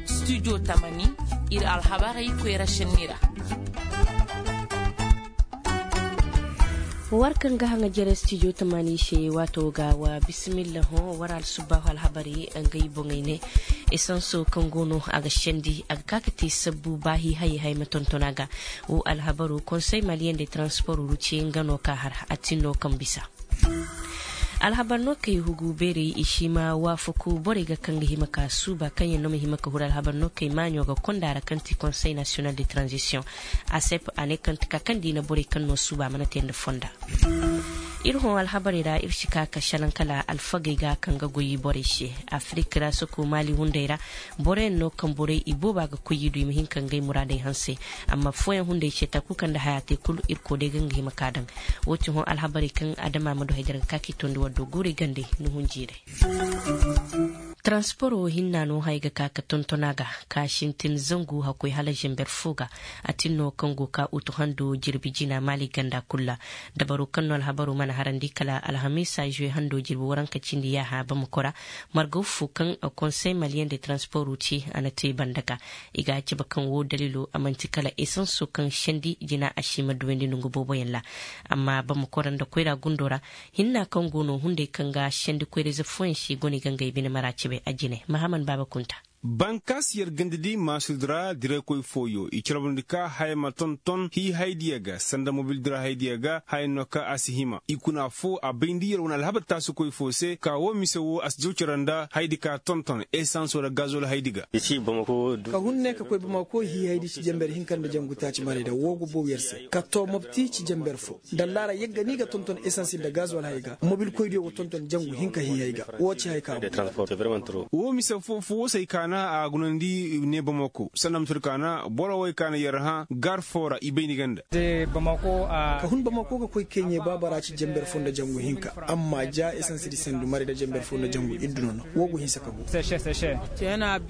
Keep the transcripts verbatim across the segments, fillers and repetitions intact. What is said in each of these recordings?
Studio tamani, ir alhabarey koyra šenni ra. War kaŋ ga haŋa jere studio tamani se waato ga wa bisimilla hõ war alsubaahu alhabarey. Ngey boŋey ne esanso kaŋ go no a ga sendi a ga ka ka te sabbu ba hiihayey hay ma tonton a ga. Wo alhabaru konsey maliyen de transport ruce nga no ka har a tin no kaŋ bisa. Alhabar no kay hugu beerey i si ma waafaku borey ga kaŋ ga hima ka suuba kaŋ yaŋ no ma hima ka huru alhabar no kay maaɲo ga konda ra kaŋ ti konsey nasiyonal de tranzisiyoŋ. Asep a ne kaŋ ti ka kaŋ diina borey kaŋ no suuba mana te nda fonda. Ir hõ alhabarey ra ir si ka ka šalaŋ kala alfagey ga kaŋ ga goy borey se. Afirik ra soko maali hunday ra boroyaŋ no kaŋ borey i booba ga koy i du i ma hin ka ngey muraadey hanse. Amma fooyaŋ hunday se takuu kaŋ nda haya te kulu irkoy day ga nga hima ka daŋ. Woo ti hõ alhabarey kaŋ adama ma du hay da ra ga ka k'i tondi war do guurey gandey ni hunjiirey. Taransporo hinna no haya ga ka ka tonton a ga ka sintin zangu hakkoy hala zamber fo ga. A tin no kaŋ go ka utu hando jirbi jina maali ganda kul ra. Dabaro kaŋ no alhabaro mana harandi kala alhamiisa zuwe hando jirbi waranka cindi yaaha bamako ra. Margaw fo kaŋ konsey maliyen de taransporo ci a na te banda ga. I ga a cabe kaŋ woo daliilo a man'ti kala esanso kaŋ sendi jina a si ma duwandi nongu booboyaŋ ra. Amma bamako ra nda koyra gundo ra hinna kaŋ go no hunday kaŋ ga sendi koyra-ize fooyaŋ se i go no i ga ngey bine mara cabe a jine mahaman baaba kunta. Bankaas yer ganda di maasudi ra diraykoy fooyo i carbundi ka haya ma tonton hii haydiya ga sanda mobil dira haydiya ga haya no ka a si hima i kuna foo a bayndi yer wane alhabar taasikoy foo se ka woo mise woo a si jaw cere nda haydi ka tonton esanso nda gazol haydi ga. Ka hun ne ka koy bamako hii haydi ci jenber hinka nda jangu taaci marayda woo go bow yer se ka too mopti ci jenber foo. Nda allaara yagga ni ga tonton esans nda gazol hay ga mobilkoydiyo go tonton jangu hinka hii hay ga. Woo ci hay ka go. Woo mise foo foo woo se ay kaana a gunandi ne bamako sanda mise woo kaana boro woo ay kaana yer hã gar foo ra i bay ni ganda. Ka hun bamako ga koy keeɲe baabara ci jenber foo nda jangu hinka. Amma ja esans di sandu maray nda jenber foo nda jangu iddu no no woo go hinsa ka go.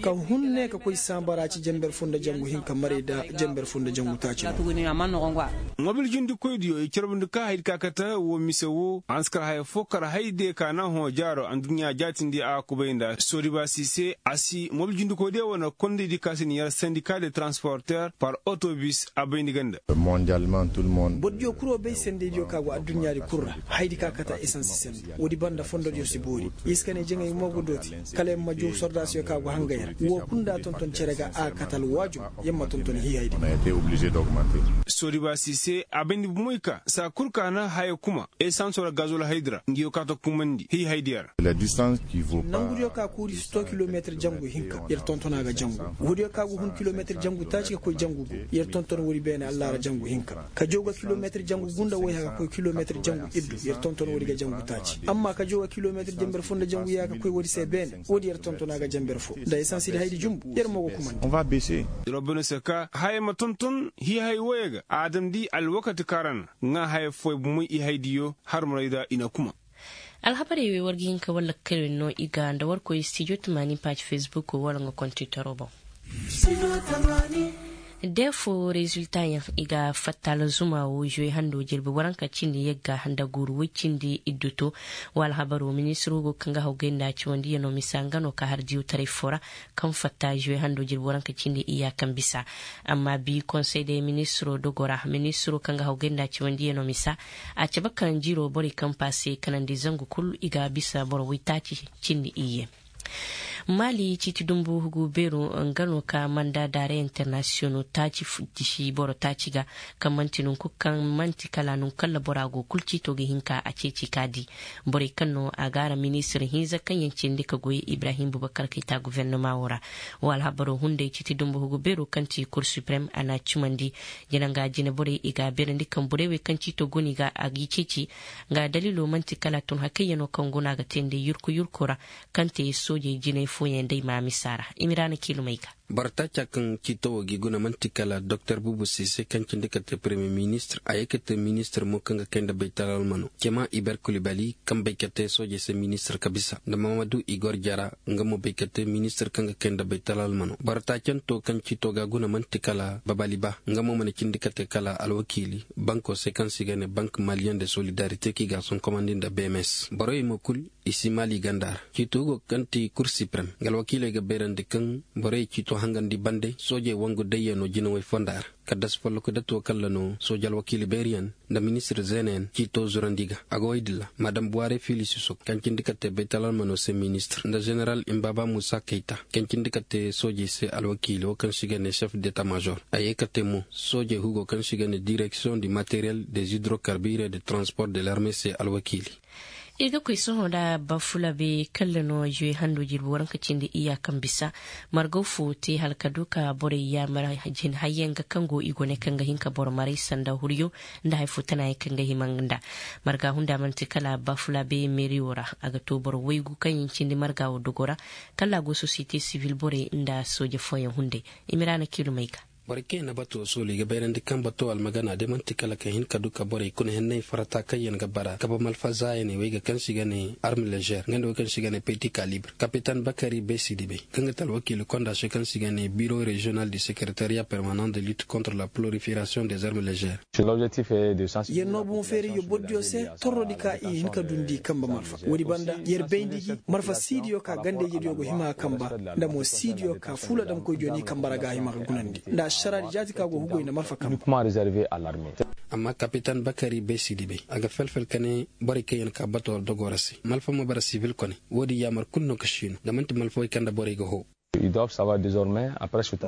Ka hun ne ka koy saabara ci jenber foo nda jangu hinka maray nda jenber foo nda jangu taaci no. Mobil jindikoydiyo i carbundi ka haydi ka kate woo mise woo a na si kar haya foo kar haydiyo ka naŋ hõ jaaro aduɲɲa jaatindi a kubay nda soodibaasi se a si mobil jindikoydiyo wane kondaydi ka si na yer sandika de taransporter par otobis a bayndi ganda. Borodiyo kul wo bay sendeydiyo ka go aduɲɲaadi kul ra. Haydi ka kate esans sende woodi banda fondodiyo si boori. Yer si ka ne jaŋay mo go dooti. Kala yer ma joow sordaasiyo ka go hangay ra woo kul nda a tonton cere ga a kate alwaajum. Yer ma tonton hii haydi. Soodibaasi se a bayndi bumoy ka saa kul ka na haya kuma esanso ra gazol haydi ra ngi yo ka ta kumandi hii haydiya ra. Nangudiyo ka kuuri si too kilometir jangu hinka yer tonton a ga jangu. Woodiyo ka go hun kilometir jangu taaci ga koy jangu go yer tonton woodi beene allaara jangu hinka. Ka jaw ga kilometir jangu gunda woy haka koy kilometir jangu iddu yer tonton woodi ga jangu taaci amma ka jaw ga kilometir jenber foo nda jangu yaaha ka koy woodi se beene woodi yer tonton a ga jenber foo nda esansi di haydi jumbu yer mo go kumandi. Yer wo bene se ka haya ma tonton hii hay woyey ga a damndi alwakati kaŋ ra na ŋaa haya fooyaŋ bumoy i haydiyo har marayda i na kuma. Alhabarey wey war ga hin ka war lakkal wey no i ga nda war koy stijo tamaani paaji fesbuk wala nga kontitoro boŋ. De fo reziltayaŋ i ga fatta alzuma wo zuwe hando jirbi waranka cindi yagga nda guuru woy cindi iddu to. Wa alhabaro ministiro go kaŋ ga haw gay nda ciwandiyanoo misa nga no ka har diyawtaray fo ra kaŋ fatta zuwe hando jirbi waranka cindi iyya kaŋ bisa. Amma bi konsey de ministiro dogo ra ministiro kaŋ ga haw gay nda ciwandiyanoo misa a cabe kaŋ jiiroo borey kaŋ paase kanandi zangu kul i ga bisa boro woytaaci cindi iyye. Maali ciiti dumbu hugu beeru nga no ka manda daare internasiyono taaci disi boro taaci ga kaŋ man'ti nunku kaŋ man'ti kala nunkalla bora go kul ciito ga hin ka a ceeci ka di. Borey kaŋ no a gaara ministir hinza kaŋ yaŋ cindi ka goy ibrahim bubakar kayta guvernema wo ra. Wo alhabaro hunday ciiti dumbu hugu beeru kaŋ ti kur suprem a na cimandi. Jina nga jine borey i ga a beerandi kaŋ borey wey kaŋ ciito go no i ga a g'i ceeci. Nga daliilo man'ti kala tun hakayyanoo kaŋ go no a ga teendi yurku yurku ra kaŋ te soojey jinay fooyaŋ day maamisa ra. Imiraana kiilumey ga. Boro taaca kaŋ ciito wo g'i guna man'ti kala doktor bubu sise kaŋ cindi ka te paremiye ministir a ye ka te ministir mo kaŋ ga kay nda baytal almano cema iber kulibali kaŋ bay ka te soojey se ministir ka bisa nda mamadu igor jara. Nga mo bay ka te ministir kaŋ ga kay nda baytal almano boro taacanto kaŋ ciito ga guna man'ti kala babali ba nga mo mana cindi ka te kala alwakiili banko se kaŋ se i ga ne bank maliyen de solidarite kaŋ i ga a sonkomandi nda bms borey mo kul i si maali ganda ra. Ciito hugo kaŋ ti kur siprem nga alwakiiley ga bayrandi kaŋ borey ciito hangandi bande soojey wangu dayyano jinawey fonda ra. Kaddas folloku datuwo kalla no sooji alwakiili beeriyaŋ nda ministir zeenayaŋ ciito zurandi ga a ga woy din ra madam buware fiili sisok kaŋ cindi ka te baytal almano se ministir nda ženeral imbaba musa kayta kaŋ cindi ka te soojey se alwakiili wo kaŋ se i ga ne sef deta major a ye ka te mo soojey hugo kaŋ se i ga ne direksiyoŋ di materiyel de zidrokarbire de transport de larme se alwakiili. Ir ga koy sohõ nda bafulabe kalla no juwe hando jirbi waranka cindi iyya kaŋ bisa margaw fo te hala ka du ka borey yaamar jin hayyaŋ ga kaŋ go i go ne kaŋ ga hin ka boro maray sanda huryo nda hari fo tana yaŋ kaŋ ga hima nda marga hunda manti kala bafulabe meeriyo ra. A ga to boro waygu kaŋ yaŋ cindi marga wo dogo ra kalla a go sosiyete sibil borey nda sooje fooyaŋ hunday. Imiraana kiilumey ga. Boro kaŋ yaŋ na bato soolu i ga bayrandi kaŋ bato almagana day man'ti kala ka hin ka du ka borey kuna henney farata kaŋ yaŋ ga bara kabe malfa zaayaney wey ga kaŋ se i ga ne arme lezer nga nda wey kaŋ se i ga ne peti kalibre kapitan bakari beesidi bay kaŋ ga te alwakiili konda se kaŋ se i ga ne biro reziyonal de sekeretariya permanan de lit kontre la plorifirasiyoŋ des arme lezer. Yer no boŋ feerayyo bordiyo se torrodi ka i hin ka dundi kamba malfa woodi banda yer bayndi gi malfa siidiyo ka ganda-ijediyo go hima ga kamba nda mo siidiyo ka fuula damkoydiyo n'i kamba ra ga a hima ga gunandi nda ašaraadi jaati ka go hugoy nda malfa kamba. Amma kapitan bakari bay siidi bay a ga fel-fel ka ne borey kaŋ yaŋ ka bato war dogo ra se malfa ma bara sibil kone. Woodi yaamar kulu no ka siinu nda man'ti malfa wey kaŋ nda borey ga hoo.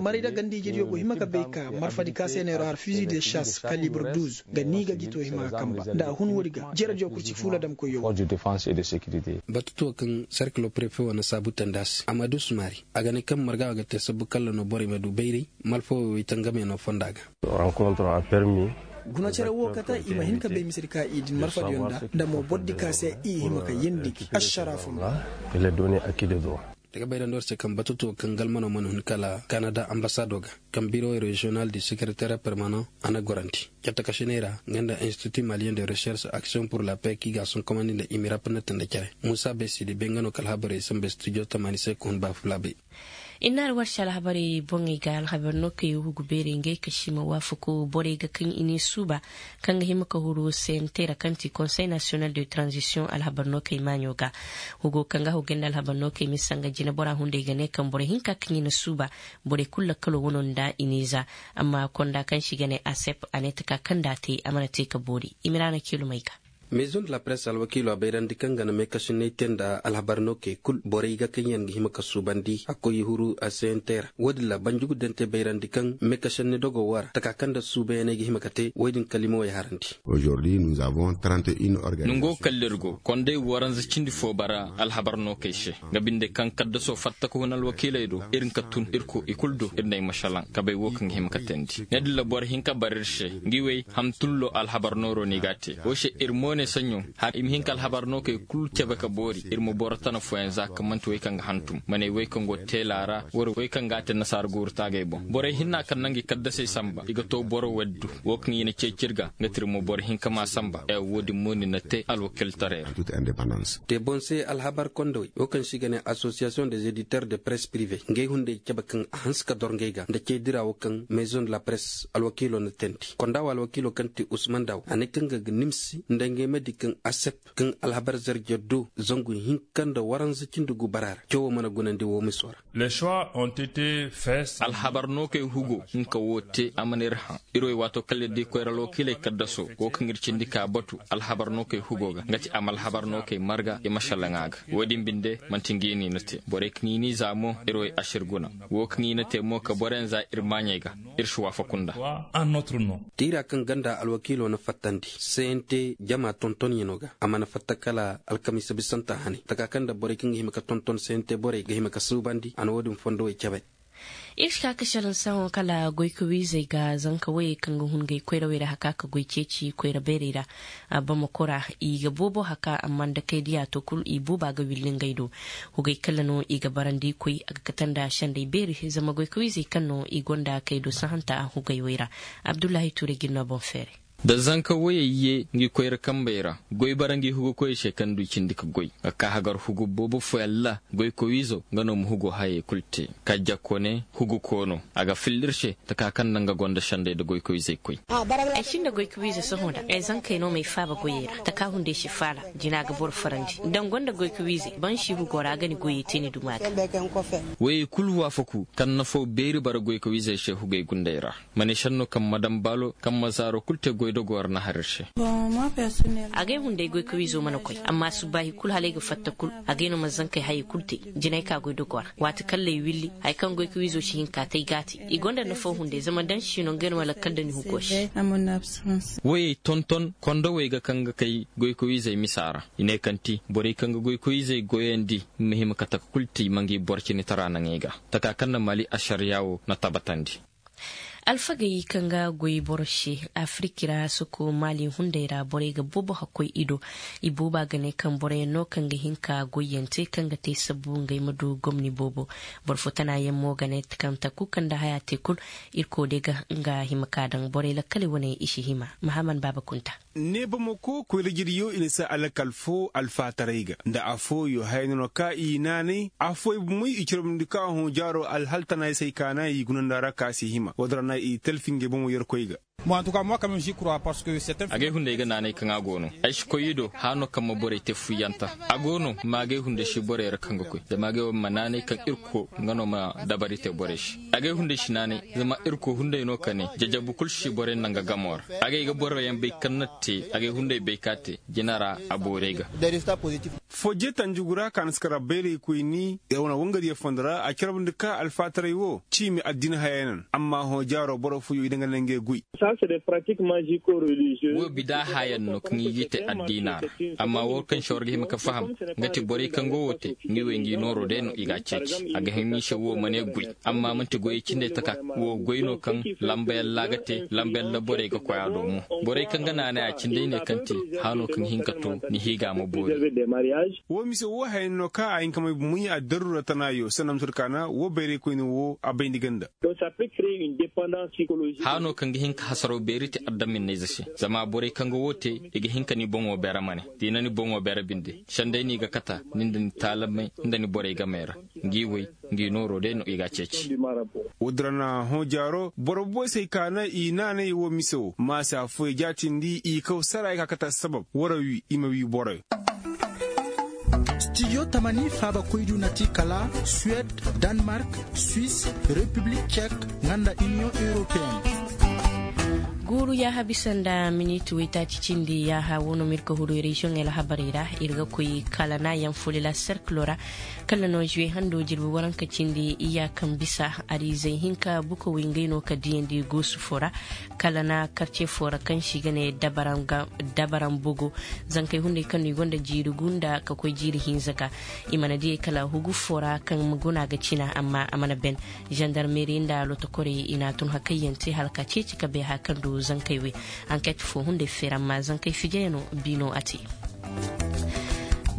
Maray da ganda-ijediyo go hima ga bay ka marfadi ka se neero har fizi de šas kalibre duz ga ni ga gito hima ga kamba nda a hun woodi ga jerediyo kulu si fuula damkoyyo. Batutuwo kaŋ serkilo prefe wo na saabu tandi a se a ma du sumaari a ga ne kaŋ marga wo ga te sabbu kalla no borey ma du bayray. Malfa wo wey tangamey no fonda ga. Guna cere wo kate i ma hin ka bay misedi ka i din marfadiyo nda nda mo bordi ka se i hima ka yeendi ašara fo no. Daga bayrandi war se kaŋ batutuwo kaŋ galmano mana hun kala kanada ambasado ga kaŋ biro reziyonal de sekereteer permanan a na gorandi cattakasiney ra nga nda institut maliyen de recherche action pur la pay kaŋ i ga a sonkomandi nda imirap na tanda cere. Muusa bay siidi bay nga no ka alhabarey sambu studio tamaani se ka hun ba fulaabey. Innaari war se alhabarey boŋey ga alhabar no kay hugu beerey ngey ka si ma waafaku borey ga kaŋ i n'i suuba kaŋ ga hima ka huru sente ra kaŋ ti konsey nasiyonal de tranzisiyoŋ alhabar no kay maaɲo ga. Hugo kaŋ ga hogey nda alhabar no kay misa nga jinebora hunday ga ne kaŋ borey hinka kaŋ i na suuba borey kulu lakkalo wano nda i n'i za. Amma konda kaŋ se i ga ne asep a ne taka kaŋ nda a te a mana te ka boori. Imiraana kiilumey ga. Maison de la presse alwakiilo a bayrandi kaŋ ga na meekasinay te nda alhabar no kay kul borey ga kaŋ yaŋ ga hima ka suubandi a koy huru a sente ra. Woodin ra banjugu dante bayrandi kaŋ meekasinay dogo wo ra taka kaŋ nda suubayanay ga hima ka te woy din kalimawey harandi. Nongo kalla ir go konday waranza cindi fo bara alhabar no kay se. Nga binde kaŋ kaddaso fatta ka hun alwakiiley do ir nka tun ir ko i kulu do ir na ay masalaŋ kabay wo kaŋ ga hima ka teendi ne dilla boro hinka bara ir se. Ngi wey hamtullo alhabar nooro no i g'a te wo se ir mo ne saɲɲo har i ma hin ka alhabar no kay kulu cabe ka boori ir ma boro tana fooyaŋ za kaŋ man'ti wey kaŋ ga hantum man'ay wey kaŋ go teela ra war wey kaŋ g'a te nasaara guuru taagay boŋ borey hinna kaŋ na ngi kaddasey samba i ga to boro waddu. Wo kaŋ i na ceeci ir ga nga ti ir mo boro hinka m'a samba ee wo-din mo ni na te alwakiiltaray ra. Te boŋ se alhabar kondowey wo kaŋ se i ga ne asosiyasiyoŋ des editeurs de presse prive ngey hunday cabe kaŋ a hanse ka dor ngey ga nda cey dira wo kaŋ maison de la presse alwakiilo na teendi konda wo alwakiilo kaŋ ti usman daw a ne kaŋ ga ga nimsi nda ngey ma di kaŋ asep kaŋ alhabar zarje do zangu hinka nda waranza cindi gu bara ra cawoo mana gunandi woo miso ra. Alhabar no kay hugo nka woo te a mana ir haŋ. Ir wey waato kala ir di koyra alwakiiley kaddaso woo kaŋ ir cindi ka batu alhabar no kay hugo ga nga ti a ma alhabar no kay marga i ma šalaŋ a ga. Woo din binde man'ti ngi no i na te borey kaŋ i n'i za mo ir wey ašir guna. Woo kaŋ i na te mo ka boroyaŋ za ir maaɲey ga ir si waafaku nda. Tiira kaŋ ganda alwakiilo na fattandi sente jama tontonyanoo ga a mana fatta kala alkamiisa bisanta hanay taka kaŋ nda borey kaŋ ga hima ka tonton sente borey ga hima ka suubandi a na woo din fondowey cabe. Ir si ka ka salaŋ sahõ kala goykawiizey ga zanka woyey kaŋ ga hun gay koyrawey ra haka ka goy ceeci koyra beerey ra. Bamako ra i ga boobo haka amma nda kay diya to kul i booba ga willi ngey do. Hugey kala no i ga barandi koy a ga kate nda sendey beeri zama goykawiizey kaŋ no i gonda kay do sahanta hugey wey ra. Abdullahi tuure ga ir no boŋ feeray. Da zanka woyey ye ngi koyra kambey ra goy bara ngi hugu koyey se kaŋ du i cindi ka goy ga ka hagar hugu boobo fooyaŋ ra. Goykowiizo nga no ma hugo hayey kulu te. Kajja kone hugu koono a ga filla ir se taka kaŋ nda nga gonda sendey nda goykowiizey koy. Ay sinda goykowiizo sohõ nda ay zankey no m'ay faaba goyey ra taka hunday si faala. Jina ga boro farandi nda nga gonda goykowiizey ba ni si hugo ra a ga ni goyey te ni duma ga. Woyey kulu waafaku kaŋ nafo beeri bara goykowiizey se hugey gundey ra. Ma ne senno kaŋ madam baalo kaŋ ma zaaro kulu te goydogoo ra na har ir se. Agay hunday goykawiizo mana koy amma subbaahi kulu hala ay ga fatta kulu. Agay no ma zankey hayey kulu te jinay ka goydogoo ra waati kaŋ lay willi haya kaŋ goykawiizo si hin ka te ay ga a te. I gonda nafo hunday zama da ni si no ngey no ma lakkal da ni hugo se. Woyey tonton kondowey ga kaŋ ga kay goykawiizey misa ra. I ne kaŋ ti borey kaŋ ga goykawiizey goyandi ma hima ka taka kulu te i ma ngi boro cinitara naŋey ga. Taka kaŋ na mali ašariyaa wo na tabatandi. Alfagey kaŋ ga goy boro se afiriki ra soko maali hunday ra borey ga boobo hakkoy i do. I booba ga ne kaŋ boroyaŋ no kaŋ ga hin ka goyyaŋ te kaŋ ga te sabbu ngey ma du gomni boobo. Boro fo tanayaŋ mo ga ne kaŋ taku kaŋ nda haya te kul. Irkoy day ga nga hima ka daŋ borey lakkaley wane i si hima. Mahaman baaba kunta. Ne bamako koyra jiryo i na si alakal fo alfaataray ga nda afooyo haya no no ka i naanay afooyo bomey i carbundi ka hõ jaaro alhaltanaysey ka na i gunanda ra ka si hima woodin ra na i talfi ngey bomo yerkoy ga. Agay hunday ga naanay kaŋ a go no ay si koy i do hano kaŋ ma borey te fuyyanta. A go no maagay hunday si borey ra kaŋ ga koy zama agay wo ma naanay kaŋ irko nga no ma dabari te borey se. Agay hunday si naanay zama irko hunday no ka ne jajabu kul si borey naŋ ga gamo ra. Agay ga boroyaŋ bay kaŋ na te agay hunday bay ka te jina ra a boorey ga. Fojje tanjugu ra ka na si kara bayraykoyni wane wangadiyo fondo ra a carbundi ka alfaataray wo ciimi addina hayey naŋ amma hõ jaaro boro fooyo i daŋ ga naŋ ngey goy. Wo bida hayaŋ no kaŋ i g'i te addiina ra. Amma wo kaŋ se war ga hima ka faham nga ti borey kaŋ go wo te ngi wey ngi nooro day no i g'a ceeci a ga hima i se wo ma ne goy. Amma man'ti goyey cindey taka wo goy no kaŋ lambayaŋ ra ga te lambayaŋ ra borey ga koy a do mo. Borey kaŋ ga naanay a cindey ne kaŋ te hano kaŋ hin ka to ni hiiga ma boori. Wo mise wo hayaŋ no kaŋ a hin ka may bumuɲi a daruura tanaayo sanna ma tur kaana wo bayraykoyne wo a bayndi ganda. Hano kaŋ ga hin ka hasaraw beeri te adaminnayze se zama borey kaŋ ga wo te i ga hin ka ni boŋo beere mane. Da i na ni boŋo beere binde sendey no i ga kata ni nda ni taalamey nda ni borey gamey ra. Ngi wey ngi nooro day no i g'a ceeci. Woodin ra na hõ jaaro boro boosey ka na i naanay wo mise wo maasa fooyey jaatindi i kaw sara i ka kata sabab wara wi i ma wi boroyo. Stijo tamani faabakoydiyo na ti kala suwed, danmark, swis, repiblik cek, nga nda iniyoŋ europeyenne. Guuru yaaha bisa nda miniti waytaaci cindi yaaha wo no ma ir ka huru reziyoŋey alhabarey ra. Ir ga koy kala naayaŋ fulila serkilo ra. Kala no zuwe hando jirbi waranka cindi iyaakan bisa ariizey hinka bukawey ngey no ka diyandi goosu fo ra. Kala na karce fo ra kaŋ se i ga ne dabaran bogo. Zankey hunday kaŋ no i gonda jiiri gunda ka koy jiiri hinza ga. I mana diyey kala hugu fo ra kaŋ guna ga cina amma a mana ben. Zandarmeri nda lotokorey i n'a tun hakayyaŋ te hala ka ceeci ka bay haya kaŋ du zankey wey. Anket fo hunday feera amma zankey fijeyaŋo biino a te.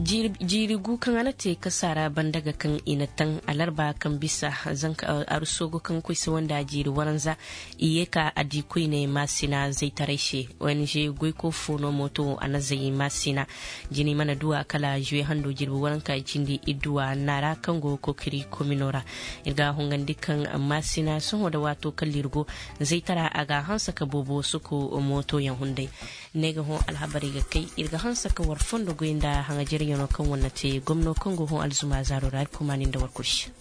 Jiiri gu kaŋ a na te kasaara banda ga kaŋ i na taŋ alarba kaŋ bisa zanka arusogo kaŋ koy sawanda jiiri waranza. I ye ka a di koyne maasina zaytaray se. Ong goyko fo no mooto a na zay maasina. Jini mana duwa kala zuwe hando jirbi waranka cindi idduwa naara kaŋ go kokiri komino ra. Ir ga hongandi kaŋ maasina sohõ da waato kala ir go zaytara a ga hanse ka boobo suku mootoyaŋ hunday. Ne ga hõ alhabarey ga kay ir ga hanse ka war fondo goy nda haŋajaryaŋo kaŋ war na te gomno kaŋ go hõ alzuma zaaro ra ir kumaani nda war kulu se.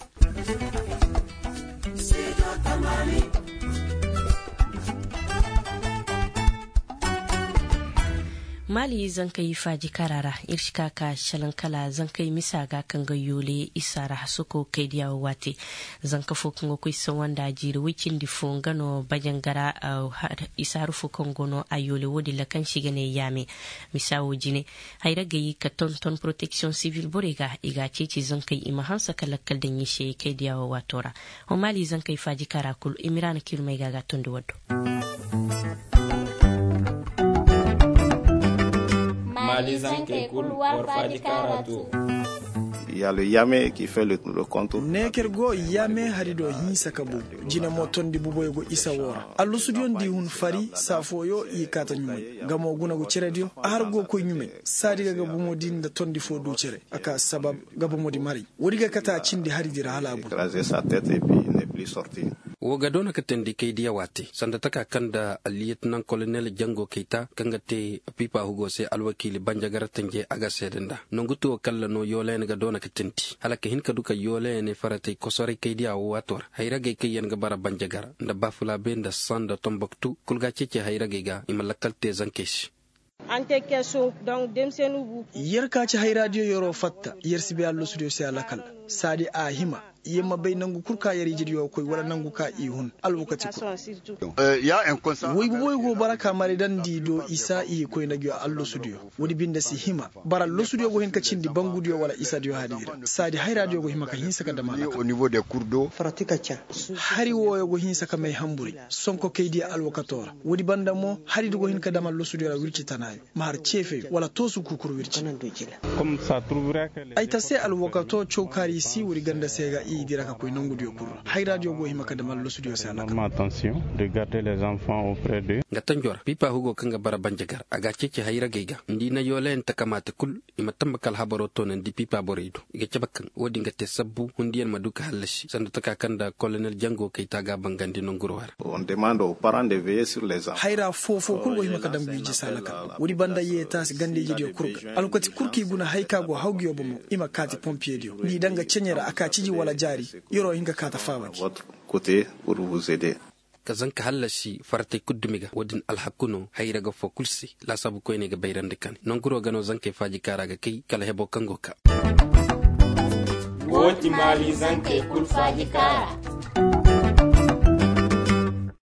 Maali zankey faajikaara ra ir si ka ka salaŋ kala zankey misa ga kaŋ ga yoole isa ra hasoko kay diya wo waate. Zanka fo kaŋ ga koy sawa nda jiiri woy cindi fo nga no bajangara. Isa haru fo kaŋ go no a yoole wo- din ra kaŋ se i ga ne yaame. Misa wo jine, hayragey ka tonton poroteksiyoŋ sibil borey ga i ga a ceeci zankey i ma hanse ka lakkal daŋ i se kay diya wo waato ra. Ho maali zankey faajikaara kul i miraana kiirumey ga a ga a tondi waddo. Maali zankey kul war faajikaara to. Yalo yame ki fe le konto. Neeker go yame hari do hinsa ka bu. Jine mo tondi buboyo go isa wo ra allusudiyo nda i hun fari saa fooyo i kaata ɲumay. Nga mo guna go cerediyo a har go koy ɲumay. Saadi ga ga bumo di nda tondi fo du cere a ka sabab ga bumo di maray. Woodi ga kate a cindi hari di ra hala a bu. Wo ga doona ka teendi kay diya waate sanda taka kaŋ nda alliyetinaŋ kolonel jango kayta kaŋ ga te pipa hugo se alwakiili banjagara tanje a ga seede nda nongu tuwo kalla no yoolayaŋ ga doona ka teendi hala ka hin ka du ka yoolayaŋ faratey kosoray kay diya wo waato ra hayragey kaŋ yaŋ ga bara banjagara nda bafulabe nda san nda tomboktu kul ga a ceeci hayragey ga i ma lakkal te zankey se. Yer ka ci hayraadiyo yeroo fatta yer si bay allosudiyo se a lakal. Saadi a hima yer ma bay nangu kul ka yer ijidiyo koy wala nangu ka i hun alwakati kul. Woy buboyo go bara ka maray daŋ nda i do isa i koy nda gi allosudiyo. Woodi binde si hima bara allosudiyo go hin ka cindi bangudiyo wala isadiyo haadi ra saadi hayraadiyo go hima ka hinsa ka dam a lakal. Hari wooyo go hinsa ka may hamburay sonko kay diya alwakato ra. Woodi banda mo hari di go hin ka dam allosudiyo ra wirci tanaayo ma har ceefeyo wala toosu kukuru wirci. Ay ta se alwakato cawkaari si woodi ganda se ga i dira ka koy nongudiyo kul ra hayraadiyo go hima ka dam allosudiyo se alaka. Nga tanjo ra pipa hugo kaŋ ga bara banjagar a ga a ceeci hayragey ga nda i na yoolayaŋ takamaate kul. I ma tamba ka alhabaroo toonandi pipa borey do i ga cabe kaŋ woodin ga te sabbu hundiyaŋ ma du ka hallasi sanda taka kaŋ nda kolonel jango kayta ga a bangandi nonguroo ra. Hayra foo-foo kul go hima ka daŋ guy jisa lakal woodi banda yeetaasi ganda-ijediyo kul ga alwakati kul kaŋ i guna hay ka go hawgiyo bomo i ma kaati pompiyediyo nda i daŋ ga ceɲe ra a ka ciji wala jaari. Yeroo hin ka kaata faabandi. Ka zanka hallasi faratey kul dumi ga woodin alhaku no hayra ga foo kul se. Laasaabu koyney ga bayrandi kane nonguroo ga no zankey faaji kaara ga kay kala heboo kaŋ go kaa. Woo ti maali zankey kul faaji kaara.